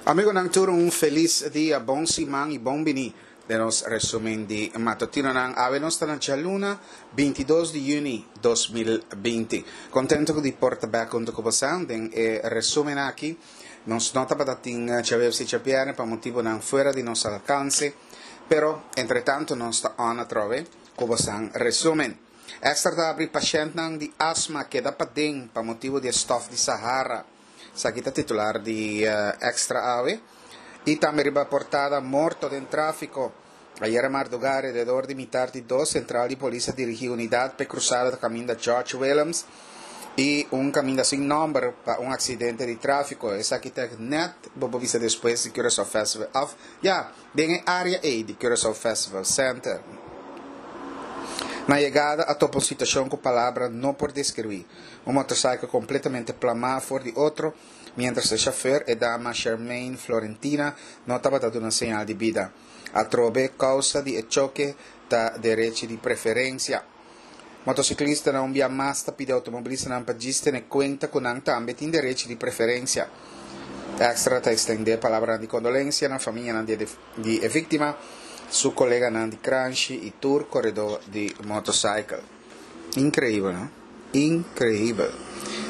Amigonan tur un felis dia, bon siman y bon bini den nos resumen di matutinonan. Awe nos ta na djaluna 22 di juni 2020. Contento cu di por ta bek hunto cu bosan den e resumen aki. Nos no tabata tin djaweps y djabierne pa motibonan fuera di nos alcance, pero entretanto nos ta on atrobe cu bosan resumen. Extra ta abri pashentnan di asma keda paden pa motibo di e stof di Sahara. Esaki ta titular di Extra awe. Y tambe riba portada Morto den trafico. Ayera marduga alrededor di mitar di dos central di polis a dirigi unidad p'e cruzada ta caminda George Willems y un caminda sin nomber pa un accidente di trafico. Esaki ta net bo por bisa despues di Curaçao Festival of ya den e area ey di Curaçao Festival Center. Na yegada a topa un situacion cu palabra no por describi. Un motorcycle completamente plamá for di otro, mientras e chauffeur, e dama Shermaine Florentina, no tabata duna señal di bida. Atrobe, causa di e choke ta derechi di preferencia. Motociclistanan un bia mas ta pidi automobilistanan pa djis tene cuenta cu nan tambe tin derechi di preferencia. Extra ta extende palabranan di condolencia na famianan di e victima, su coleganan di cranshi y tur coredor di motorcycle. Increibel, no? Increibel.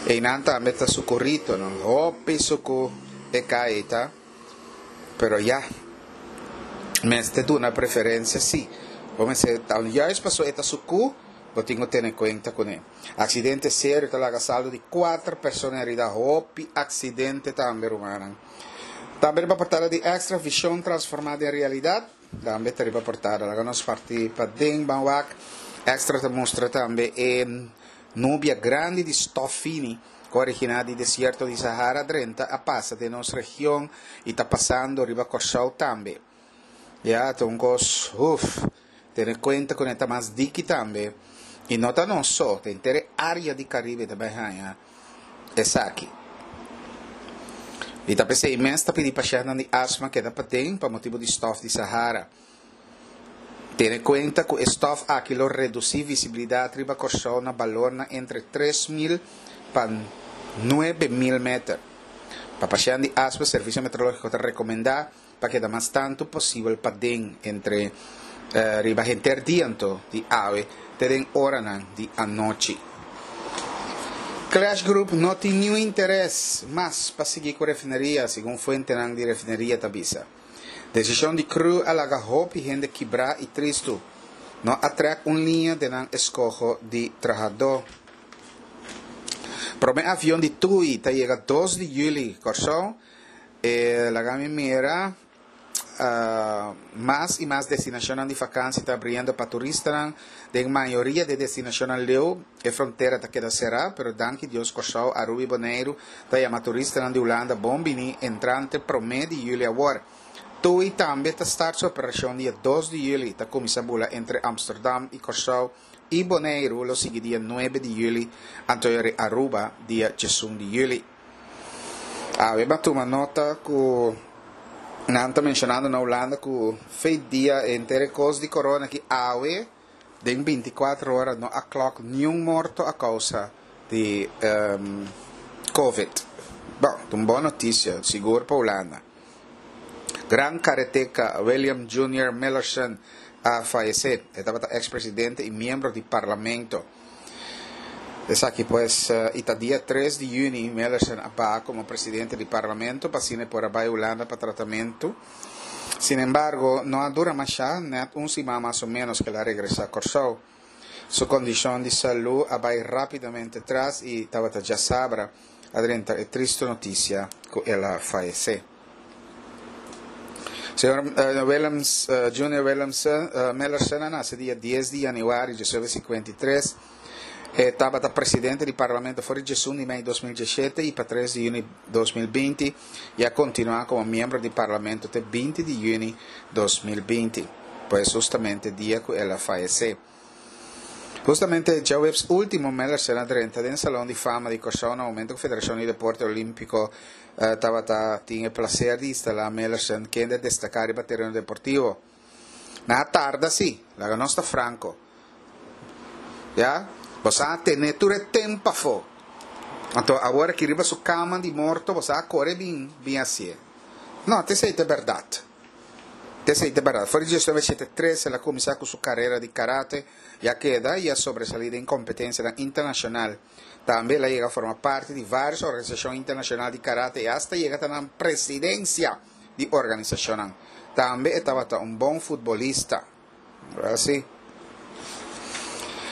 Einan tambe ta su corito, no? Hopi sucu e cay ta. Pero ya. Mester duna preferencia si. Bo mester ta juist paso e ta sucu, bo tin cu tene cuenta cune. Accidente serio ta laga saldo di cuater persona herida. Hopi accidente tambe, rumannan. Tambe riba portada di Extra, Vision transforma den realidad. Tambe ta riba portada. Laga nos parti paden ban wak. Extra ta mustra tambe e nubia grandi di stof fini ku a originá di desierto di Sahara drenta a pasa den nos region i ta pasando riba Kòrsou tambe. Ya, ta un kos, huf, tene kuenta ku e ta mas diki tambe. I no ta nos so, ta henter e área di Karibe ta bai haña esaki. I ta p'esei mes ta pidi pashèntnan di asma keda paden pa motibu di stòf di Sahara. Tene kuenta ku e stòf aki lo redusí visibilidat riba Kòrsou na balornan entre 3000 pa 9000 meter. Pa pashènt di asma Servisio Meteorológiko ta rekomendá pa keda mas tantu posibel paden entre riba henter dia anto di awe te den oranan di anochi. Klesch Group no tin niun interes mas pa sigui ku refineria, segun fuentenan di refineria ta bisa. Desishon di cru a laga hopi hende kibrá i tristu. No a trèk un liña den nan eskoho di trahadó. Promé avion di TUI ta yega dos di yüli Kòrsou. E laga mi mira mas i mas destinashonnan di fakansi ta abriendo pa turistanan. Den mayoria di e destinashonnan leu e frontera ta keda será, pero danki Dios Kòrsou, Aruba i Boneiru ta yama turistanan di Hulanda bon bini entrante promé di yüli awor. TUI tambe ta start su operashon dia dos di yüli, ta kuminsá bula entre Amsterdam i Kòrsou i Boneiru lo sigui dia nuebe di yüli, anto Aruba dia diesun di yüli. Awe bo a tuma nota ku nan ta menshonando na Hulanda ku fei dia henter e kos di corona aki awe den binti kuater ora no a klòk niun morto a kousa di covid. Bon, ta un bon notisia sigur pa Hulanda. Gran kareteka William Junior Millerson a fayesé. E tabata eks presidente i miembro di parlamento. Esaki pues i ta dia tres di yüni Millerson a baha komo presidente di parlamento pa asina e por a bai Hulanda pa tratamentu. Sinembargo, no a dura mashá, nèt un siman mas o ménos ku el a regresá Kòrsou. Su kondishon di salú a bai rápidamente tras i tabata djasabra a drenta e tristu notisia ku el a fayesé. Señor Willems, Junior Willems Millerson a nase dia dies di yanüari diesnuebe sinkuenta i tres. E tabata presidente di parlamento for di diesun di mei 2017 i pa tres di yüni 2020 i a kontinuá komo miembro di parlamento te binti di yüni 2020, pues hustamente dia ku el a fayesé. Hustamente djaweps último Millerson a drenta den Salon di Fama di Kòrsou na momento ku Federashon di Deporte Olímpiko tabata tin e plaser di instalá Millerson kende a destaká riba tereno deportivo. Nan a tarda sí, laga nos ta franko. Ya, boso a tene tur e temp pafó. Anto awor aki riba su kama di morto boso a kore bin bin hasié. No, ta esei ta e bèrdat. Ta esei ta e bèrdat. For di 1973 el a kuminsá ku su karera di karate i a keda i a sobresalí den kompetensianan internashonal. Tambe el a yega forma parti di vários organisashon internashonal di karate i asta yega ta na presidensia di organisashonnan. Tambe e tabata un bon futbolista. Así.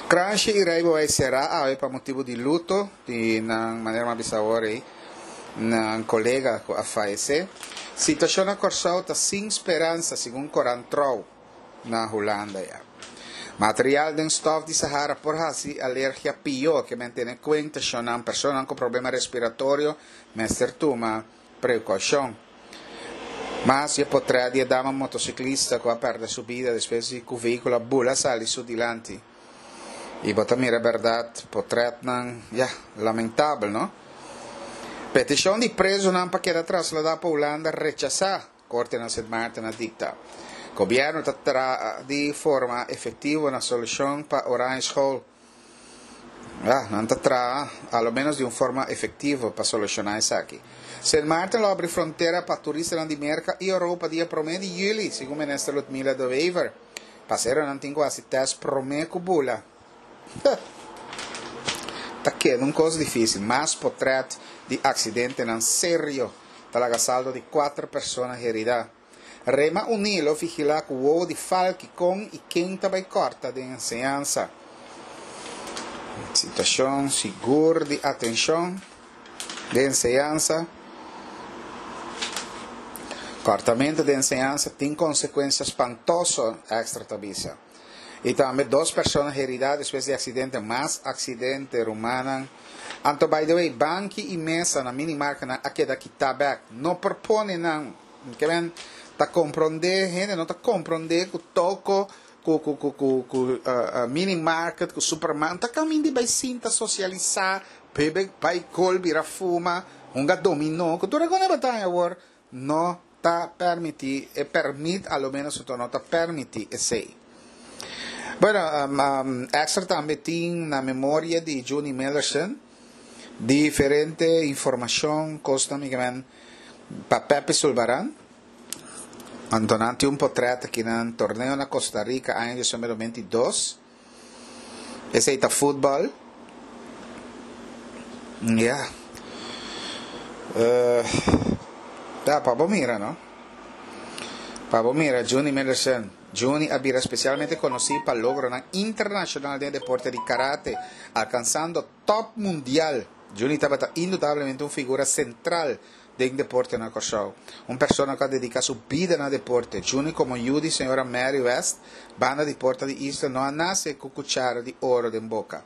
Kranshi i Rijbewijs será awe pa motibu di luto di nan, manera mi a bisa awor ei, nan kolega ku a fayesé. Situashon na Kòrsou ta sin speransa, segun Korant Trouw na Hulanda ya. Material den stòf di Sahara por hasi alergia pió, ke men tene kuenta shonnan personanan ku problema respiratorio mester tuma prekoushon. Mas e potrèt di e dama motosiklista ku a pèrdè su bida despues di ku vehíkulo a bula sali su dilanti. I bo ta mira bèrdat potrètnan, ya, lamentabel, no? Petishon di prezunan pa keda trasladá pa Hulanda rechasá, Korte na Sint Maarten a dikta. Gobièrnu ta traha di forma efektivo na solushon pa Oranjeschool. Ya, nan ta traha, a lo menos di un forma efectivo, pa soluciona esaki. Sint Maarten lo abri frontera pa turistanan di Merca y Europa dia prome di juli, segun Minister Ludmilla de Wever. Paseronan tin cu haci test prome cu bula. Ta keda un cos dificil. Mas potret di accidentenan serio ta laga saldo di cuater persona herida. Rema Uní lo vigilá ku wowo di falki kon i ken ta bai kòrta den enseñansa. Situashon sigur di atenshon den enseñansa. Kòrtamentu den enseñansa tin konsekuensia spantoso, Extra ta bisa. I tambe dos persona heridá despues di aksidente, mas aksidente, rumannan. Anto by the way, banki i mesa na minimarkanan a keda kitá bèk. No por pone nan. Ke men ta komprondé, hende no ta komprondé ku toko, ku ku ku ku ku mini market, ku supermarket, ta kaminda di bai sinta sosialisá, bebe bai kol, bira fuma, hunga dominó, ku tur e kos ta haña awor no ta pèrmití, e pèrmit a lo ménos anto no ta pèrmití esei. Bueno, Extra tambe tin na memoria di Junie Millerson diferente informashon, kosnan mi ke men. Pa Pepe Sulbaran, anto nan tin un potret aki nan torneo na Costa Rica aña 2022. Esei ta futbal. Ya. Uh, ya, pa bo mira, no? Pa bo mira, Juni Millerson. Juni a bira especialmente conocí pa logronan internacional den deporte di karate, alcanzando top mundial. Juni tabata indudablemente un figura sentral den deporte na Kòrsou. Un persona ku a dediká su bida na deporte. Juni komo yu di señora Mary West, banda di Porta di Isla no a nase ku kuchara di oro den boka.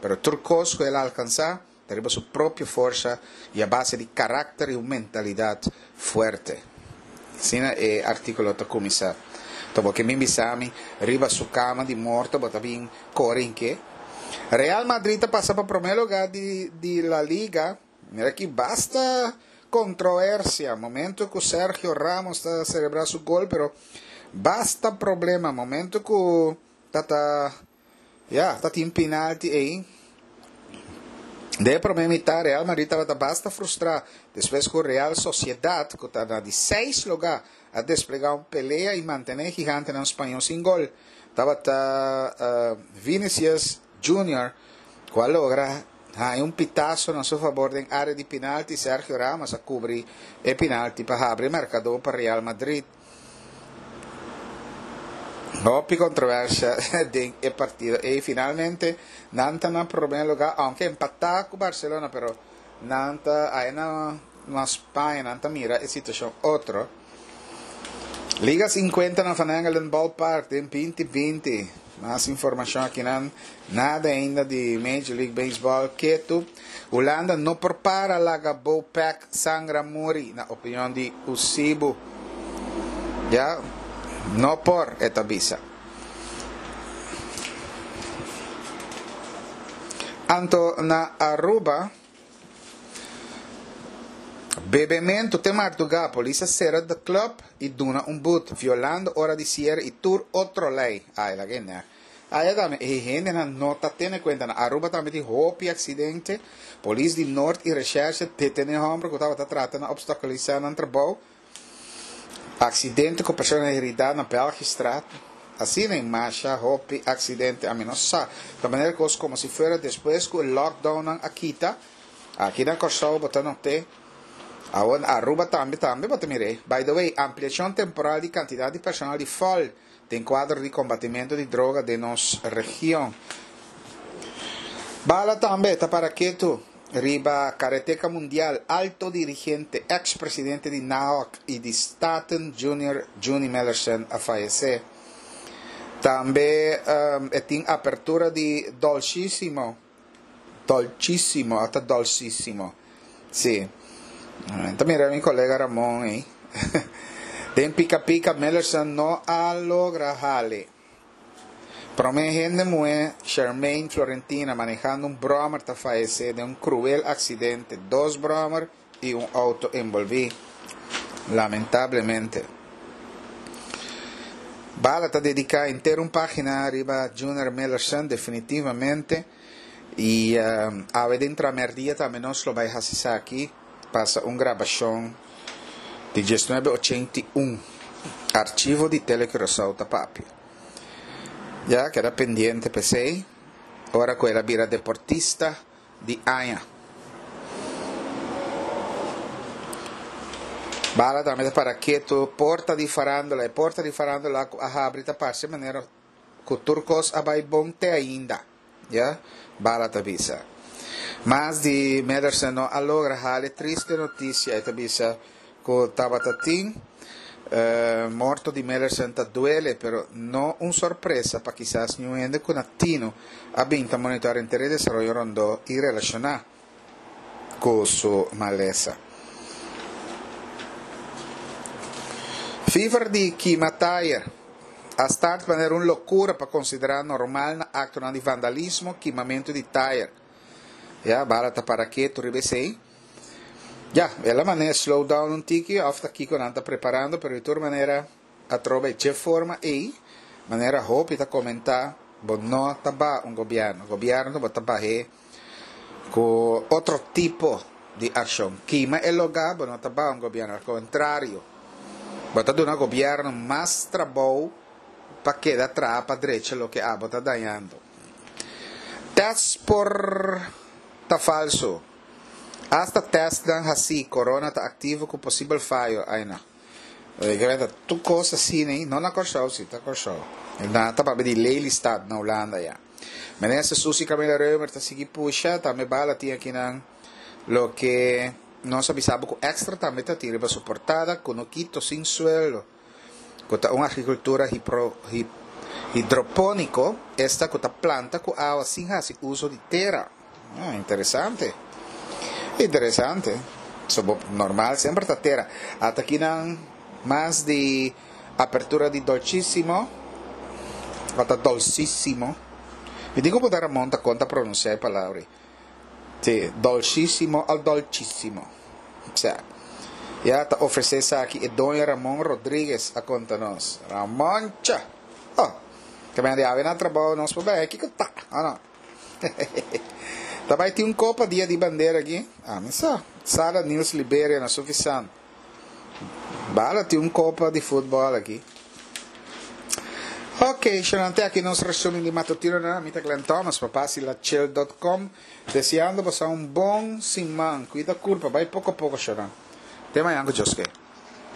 Pero tur kos ku el a alkansá ta riba su propio forsa i a base di karakter i un mentalidat fuerte. Asina e artíkulo ta kuminsá. Ta bo ke bin bisa mi riba su kama di morto bo ta bin kore inke? Real Madrid ta pasa pa promé lugá di di La Liga. Mira aki basta controversia momento cu Sergio Ramos ta celebra su gol pero basta problema momento cu ta ta ya ta tin penalti ey. Den e prome mitad Real Madrid tabata basta frustra despues cu Real Sociedad cu ta na di seis lugar a desplega un pelea y mantene e gigantenan spañol sin gol. Tabata Vinicius Junior cu a logra haña un pitazo na su fabor den area di pinalti. Sergio Ramos a cubri e pinalti pa habri e marcador pa Real Madrid. Hopi controversia den e partido ey. Finalmente nan ta na primer lugar, aunke empata cu Barcelona, pero nan ta aya na na Spaña nan ta mira e situacion otro. Liga 50 na Van Engelen Ballpark den 2020. Mas informacion aki nan. Nada ainda di Major League Baseball. Ketu, Hulanda no por para laga Bopec sangra muri, na opinion di Usibu. Ya, no por, e ta bisa. Anto na Aruba, Bebementu te mardugá, polis a sera The Club i duna un but, violando ora di siere i tur otro lei. Ai, laga e nèk. Aya tambe e hendenan no ta tene kuenta. Na Aruba tambe tin hopi aksidente. Polis di Noord i Recherche detené hòmber ku tabata trata na opstakulisá nan trabou. Aksidente ku persona heridá na Belgistraat. Asina e masha hopi aksidente, ami no sa. Ta manera kos komo si fuera despues ku e lockdownnan a kita, aki na Kòrsou bo ta not'é, awor na Aruba tambe tambe bo ta mir'é. By the way, ampliashon temporal di kantidat di personal di fòl den kuadro di kombatimentu di droga den nos region. Bala tambe ta para ketu. Riba Karateka Mundial, alto dirigente, ex presidente di NAOC y di Staten Junior Juni Mellersen a fayece. Tambe e tin apertura di Dolcissimo, Dolcissimo, ata Dolcissimo, si. Ta mira mi colega Ramon ey. Den Pika Pika Mellersen no a logra hale. Promé hende muhé Shermaine Florentina manehando un bròmer ta fayesé den un kruel aksidente, dos bròmer i un outo enbolbí. Lamentablemente. Bala ta dediká henter un página riba Junior Millerson definitivamente i awe den tramèrdia tambe nos lo bai hasi esaki, pasa un grabashon di diesnuebe ochenta i un archivo di Tele Curaçao ta papia. Ya keda pendiente p'esei ora ku el a bira deportista di aña. Bala tambe ta para ketu porta di farándula. E porta di farándula ku a habri ta parse manera ku tur kos a bai bon te ainda. Ya, Bala ta bisa. Mas di Medersen no a logra hal e triste noticia, e ta bisa cu tabata tin. Morto di Medersen ta duele, pero no un sorpresa pa kisas niun hende cu na tino a bin ta monitor henter e desaroyo rondó y relaciona cu su malesa. Fever di kima tayer a start manera un locura pa considera normal na actonan di vandalismo kimamento di tayer. Ya, bala ta para ketu riba esey. Ya, el a manera slow down un tiki of ta kico nan ta preparando, pero di tur manera Atrobe dje forma ei, manera hopi ta komentá, bo no ta baha un gobièrnu. Gobièrnu bo ta bah'é ku otro tipo di akshon. Kima e logá bo no ta baha un gobièrnu, al kontrario, bo ta duna gobièrnu mas trabou pa keda traha pa drecha loke abo ta dañando. Tèst por ta falsu. Asta tèstnan hasí, korona ta aktivo ku posibel fayo. Aina. Lógicamente tur cos asina ei, no na Kòrsou si, ta Kòrsou. Nan ta papia di Lelystad na Hulanda ya. Minister Suzy Camila Römer ta sigui pusha, tambe bala tin akinan loke nos a bisa bo ku Extra tambe ta tin riba su portada, Kunukito sin sueldo, ku ta un agrikultura hidropóniko, esta ku ta planta ku awa sin hasi uso di tera. Ah, interesante. Interesante. So bo normal semper ta tera. Ata kinan mas di apertura di Dolcissimo. Ata Dolcissimo. Mi tin ku punta Ramon ta kon ta pronuncia e palabra ei. Si, Dolcissimo al Dolcissimo. Sa. Ya ta ofrece esaki e doño Ramon Rodriguez a konta nos. Ramoncha! Oh, ke men di awe na trabou nos por bai. Kiko ta? Oh no. Ta bai tin un kopa dia di bandera aki? Ami sa. Sala Niels Liberia na Suffisant. Bala tin un kopa di futbòl aki. Ok, shonante te aki nos resumen di matutinonan. Mi ta Glenn Thomas pa Pasilachel dot com. Deseando boso un bon siman. Kuida kurpa. Bai poko poko, shonante. Te mañan ku Dios ke.